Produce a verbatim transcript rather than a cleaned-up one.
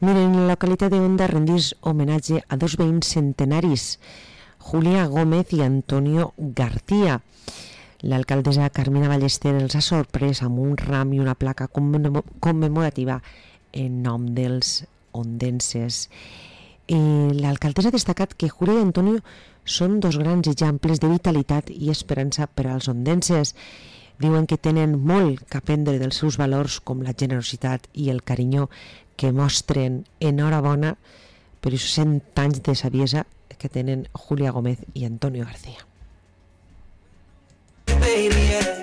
Miren, en la localitat de Onda rendís homenatge a dos veïns centenaris, Julia Gómez i Antonio García. L'alcaldessa Carmina Ballester els ha sorprès amb un ram i una placa commemorativa en nom dels ondenses. L'alcaldessa ha destacat que Julia i Antonio són dos grans exemples de vitalitat i esperança per als ondenses. Diuen que tenen molt que aprendre dels seus valors com la generositat i el carinyo que mostren. Enhorabona per els cent anys de saviesa que tenen Julia Gómez i Antonio García. Baby, yeah.